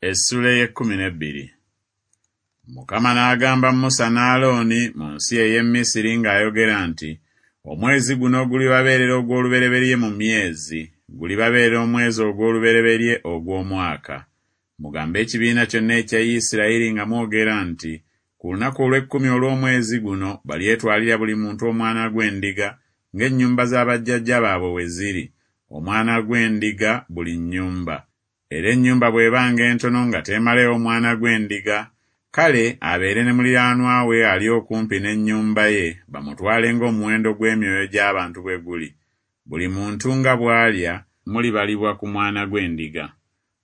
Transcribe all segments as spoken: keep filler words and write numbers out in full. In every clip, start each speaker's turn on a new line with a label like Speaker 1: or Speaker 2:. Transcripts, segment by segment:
Speaker 1: Essula ey'ekkumi n'ebbiri. Mukama n'agamba Musa ne Alooni mu nsi ey'e Misiri ng'ayogera nti, Omwezi guno gulibabeerera ogw'olubereberye mu myezi, gulibabeerera omwezi ogw'olubereberye ogw'omwaka. Mugambe ekibiina kyonna ekya Isirayiri nga mwogera nti, Ku lunaku olw'ekkumi olw'omwezi guno balyetwalira buli muntu omwana gw'endiga, ng'ennyumba za bajjajja baabwe bwe ziri, omwana gw'endiga buli nnyumba. Era ennyumba bw'ebanga entono nga teemaleewo mwana gw'endiga, kale abeere ne muliraanwa we ali okumpi n'ennyumba ye, bamutwale ng'omuwendo gw'emyoyo gy'abantu bwe guli. Buli muntu nga bw'alya, mulibalibwa ku mwana gw'endiga.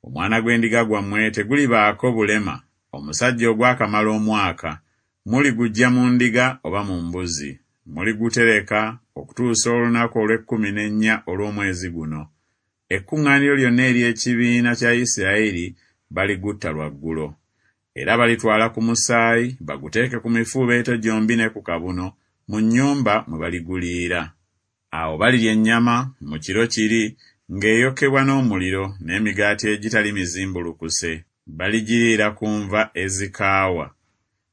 Speaker 1: Omwana gw'endiga gwammwe tegulibaako bulema, omusajja ogwakamala omwaka, muliguggya mu ndiga oba mu mbuzi. Muligutereka okutuusa olunaku olw'ekkumi n'ennya olw'omwezi guno. Ekkuŋŋaaniro lyonna ery'ekibiina kya Isirayiri baligutta lwaggulo. Era balitwala ku musaayi, baguteeke ku mifuubeeto gyombi ne ku kabuno, mu nnyumba mwe baliguliira. Awo balirya ennyama mu kiro kiri ng'eyokebwa n'omuliro n'emigaati egitali mizimbulukuse, baligiriira ku nva ezikaawa.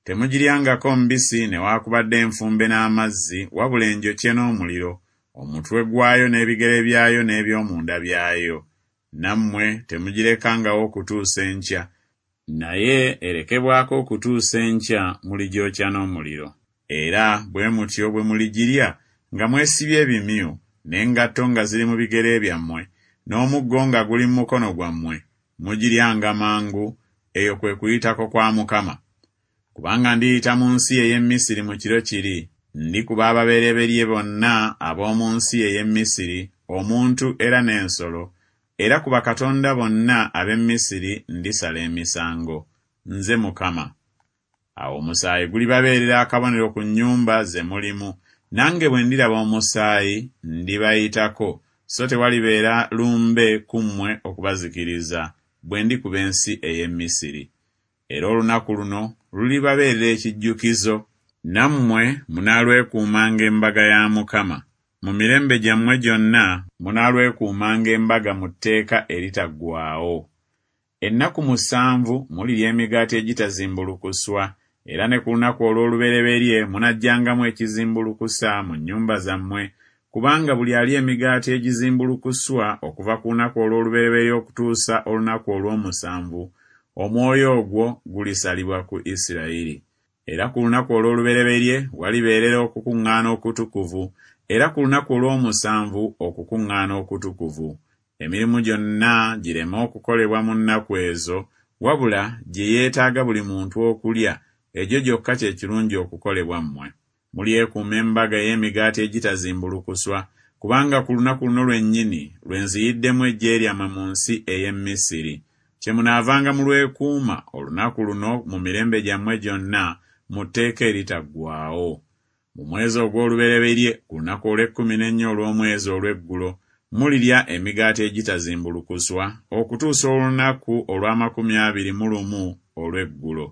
Speaker 1: Temugiryangako mbisi newaakubadde enfumbe n'amazzi, wabula enjokye n'omuliro, omutwe gwayo n'ebigere byayo n'eby'omunda byayo. Nammwe temugirekangawo okutuusa enkya, naye erekebwako okutuusa enkya, muligyokya n'omuliro. Era bwe mutyo bwe muligirya nga mwesibye ebimyu, n'engatto nga ziri mu bigere byammwe, n'omuggo nga guli mu mukono gwammwe, mugiryanga mangu, eyo kwe kuyitako kwa Mukama. Kubanga ndiyita mu nsi ey'e Misiri mu kiro kiri, ndikuba ababereberye bonna ab'omu nsi ey'e Misiri, omuntu era n'ensolo, era ku bakatonda bonna ab'e Misiri ndisala emisango. Nze Mukama. Awo omusaayi gulibabeerera akabonero ku nnyumba ze mulimu, nange bwe ndiraba omusaayi, ndibayitako, so tewalibeera lumbe ku mmwe okubazikiriza, bwe ndikuba ensi ey'e Misiri. Era olunaku luno lulibabeerera ekijjukizo, nammwe munaalwekuumanga embaga ya Mukama. Mu mirembe gyammwe gyonna munaalwekuumanga embaga mu tteeka eritaggwaawo. Ennaku musanvu mulirya emigaati egitazimbulukuswa, era ne ku lunaku olw'olubereberye munaggyangamu ekizimbulukusa mu nnyumba zammwe, kubanga buli alya emigaati egizimbulukuswa okuva ku lunaku olw'olubereberye okutuusa olunaku olw'omusanvu, omwoyo ogwo gulisalibwa ku Isirayiri. Era ku lunaku olw'olubereberye walibeerera okukuŋŋaana okutukuvu, era ku lunaku olw'omusanvu okukuŋŋaana okutukuvu. Emirimu gyonna gireme okukolebwa mu nnaku ezo, wabula gye yeetaaga buli muntu okulya, egyo gyokka kye kirungi okukolebwa mmwe. Mulyekuuma embaga ey'emigaati egitazimbulukuswa, kubanga ku lunaku luno lwennyini lwe nziyiddemu eggye lyammwe mu nsi ey'e Misiri. Kyemunaavanga mulwekuuma olunaku luno mu mirembe gyammwe gyonna mu tteeka eritaggwaawo. Mu mwezi ogw'olubereberye ku lunaku olw'ekkumi n'ennya olw'omwezi olw'eggulo mulirya emigaati egitazimbulukuswa okutuusa olunaku olw'amakumi abiri mu lumu olw'eggulo.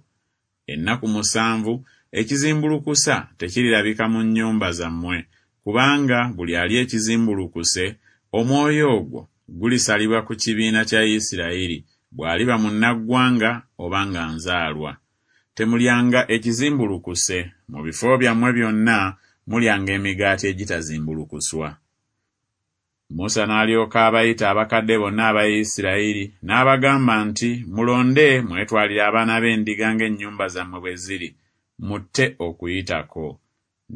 Speaker 1: Ennaku musanvu ekizimbulukusa tekirirabika mu nnyumba zammwe, kubanga buli alya ekizimbulukuse, omwoyo ogwo gulisalibwa ku kibiina kya Isirayiri, bw'aliba munnaggwanga oba nga nzaalwa. Temulyanga ekizimbulukuse, mu bifo byammwe byonna mulyanga emigaati egitazimbulukuswa. Musa n'alyoka abayita abakadde bonna aba Isirayiri, n'abagamba nti, Mulonde mwetwalire abaana b'endiga ng'ennyumba zammwe bwe ziri, mutte Okuyitako.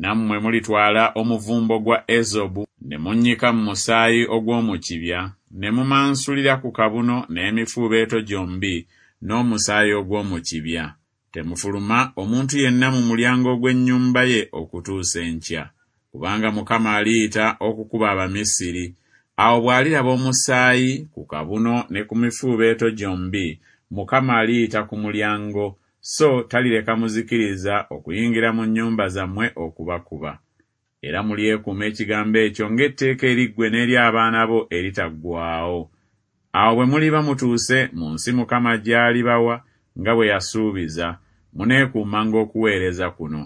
Speaker 1: Nammwe mulitwala omuvumbo gwa ezobu ne munnyika mu musaayi ogw'omu kibya, ne mumansulira ku kabuno n'emifuubeeto gyombi n'omusaayi ogw'omu kibya. Temufuluma omuntu yenna mu mulyango ogw'ennyumba ye okutuusa enkya. Kubanga Mukama aliyita okukuba Abamisiri. Awo bw'aliraba omusaayi ku kabuno ne ku mifuubeeto gyombi, Mukama aliyita ku mulyango, so talireka muzikiriza okuyingira mu nnyumba zammwe okubakuba. Era mulyekuuma ekigambo ekyo ng'etteeka eri ggwe n'eri abaana bo eritaggwaawo. Awo bwe muliba mutuuse mu nsi Mukama gy'alibawa nga bwe yasuubiza, muneekuumanga okuweereza kuno.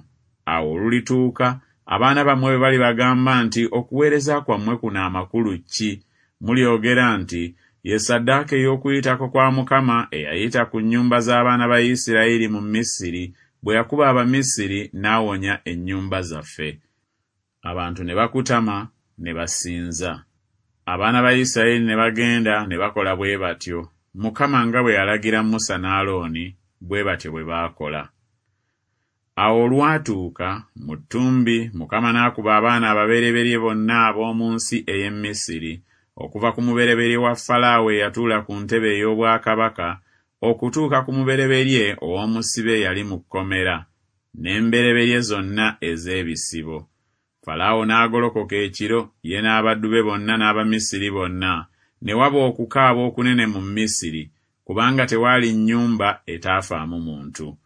Speaker 1: Awo olulituuka, abaana bammwe bwe balibagamba nti, Okuweereza kwammwe kuno amakulu ki? Mulyogera nti, ye ssaddaaka ey'Okuyitako kwa Mukama eyayita ku nnyumba z'abaana ba Isirayiri mu Misiri, bwe yakuba Abamisiri n'awonya ennyumba zaffe. Abantu ne bakutama ne basinza. Abaana ba Isirayiri ne bagenda ne bakola bwe batyo, Mukama nga bwe yalagira Musa ne Alooni, bwe batyo bwe baakola. Awo olwatuuka mu ttumbi Mukama n'akuba abaana ababereberye bonna ab'omu nsi ey'e Misiri, okuva ku mubereberye wa Falaawo eyatuula ku ntebe ey'obwakabaka, okutuuka ku mubereberye ow'omusibe eyali mu kkomera, n'embereberye zonna ez'ebisibo. Falaawo n'agolokoka ekiro, ye n'abaddu be bonna n'Abamisiri bonna, ne waba okukaaba okunene mu Misiri, kubanga tewaali nnyumba etaafaamu muntu.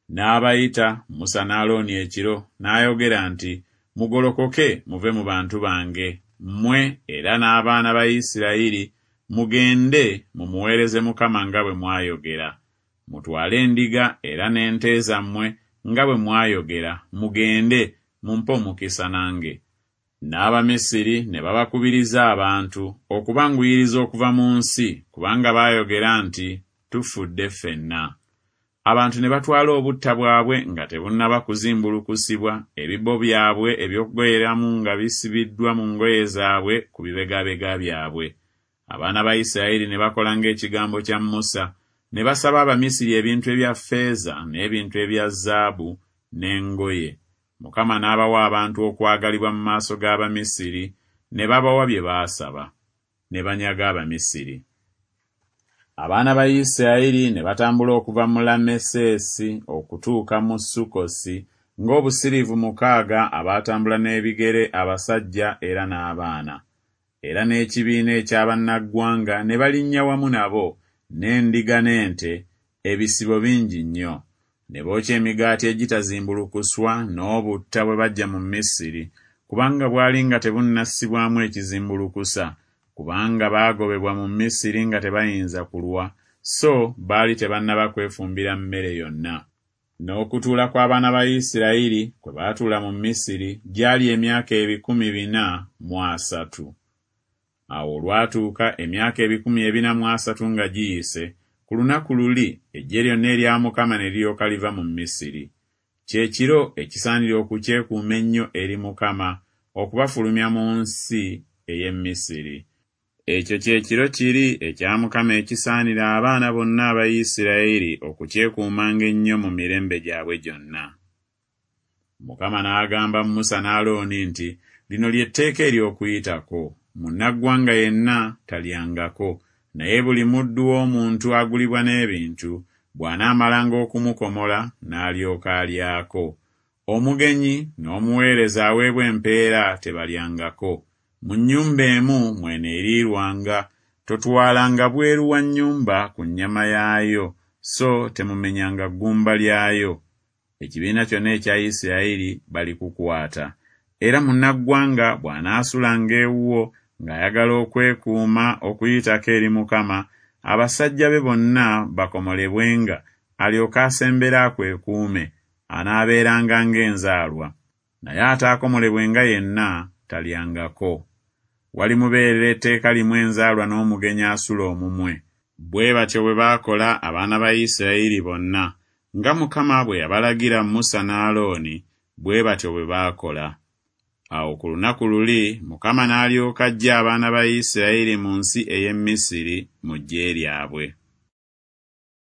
Speaker 1: N'abayita Musa ne Alooni ekiro, n'ayogera nti, Mugolokoke muve mu bantu bange, mmwe era n'abaana ba Isirayiri, mugende mumuweereze Mukama nga bwe mwayogera. Mutwale endiga era n'ente zammwe nga bwe mwayogera, mugende mumpe omukisa nange. N'Abamisiri ne babakubiriza abantu okubanguyiriza okuva mu nsi, kubanga baayogera nti, Tufudde ffenna. Abantu ne batwala obutta bwabwe nga tebunnaba kuzimbulukusibwa, ebibbo byabwe eby'okugoyeramu nga bisibiddwa mu ngoye zaabwe ku bibegabega byabwe. Abaana ba Isirayiri ne bakola ng'ekigambo kya Musa, ne basaba Abamisiri ebintu ebya ffeeza n'ebintu ebya zaabu n'engoye. Mukama n'abawa abantu okwagalibwa mu maaso g'Abamisiri, ne babawa bye baasaba. Ne banyaga Abamisiri. Abaana ba Isirayiri ne batambula okuva mu Lameseesi okutuuka mu Sukkosi, ng'obusiriivu mukaaga abaatambula n'ebigere abasajja era n'abaana. Era n'ekibiina eky'abannaggwanga ne balinnya wamu nabo, n'endiga n'ente, ebisibo bingi nnyo. Ne bookya emigaati egitazimbulukuswa n'obutta bwe baggya mu Misiri, kubanga bwali nga tebunnassibwamu ekizimbulukusa, kubanga baagobebwa mu Misiri nga tebayinza kulwa, so baali tebannaba kwefumbira mmere yonna. N'okutuula kw'abaana ba Isirayiri kwe baatuula mu Misiri gyali emyaka ebikumi bina mu asatu. Awo olwatuuka emyaka ebikumi ebina mu asatu nga giyise, ku lunaku luli eggye lyonna erya Mukama ne liryoka liva mu Misiri. Kye kiro ekisaanira okukyekuuma ennyo eri Mukama, okubafulumya mu nsi ey'e Misiri. Ekyo kye kiro kiri ekya Mukama ekisaanira abaana bonna aba Isirayiri okukyekuumanga ennyo mu mirembe gyabwe gyonna. Mukama n'agamba Musa ne Alooni nti, Lino lye tteeka ery'Okuyitako. Munnaggwanga yenna talyangako, naye buli muddu w'omuntu agulibwa n'ebintu, bw'anaamalanga okumukomola n'alyoka alyako. Omugenyi n'omuweereza aweebwa empeera tebalyangako. Mu nnyumba emu mw'eneeriirwanga, totwalanga bweru wa nnyumba ku nnyama yaayo, so temumenyanga ggumba lyayo. Ekibiina kyonna ekya Isirayiri balikukwata. Era munnaggwanga bw'anaasulanga ewuwo ng'ayagala okwekuuma Okuyitako eri Mukama, abasajja be bonna bakomolebwenga, alyoke asembere akwekuume, anaabeeranga ng'enzaalwa. Naye ataakomolebwenga yenna talyangako. Walimubeerera etteeka limu enzaalwa n'omugenyi asula omumwe. Bwe batyo bwe baakola abaana ba Isirayiri bonna, nga Mukama bwe yabalagira Musa ne Alooni, bwe batyo bwe baakola. Awo ku lunaku luli Mukama n'alyoka aggya abaana ba Isirayiri mu nsi ey'e Misiri mu ggye lyabwe.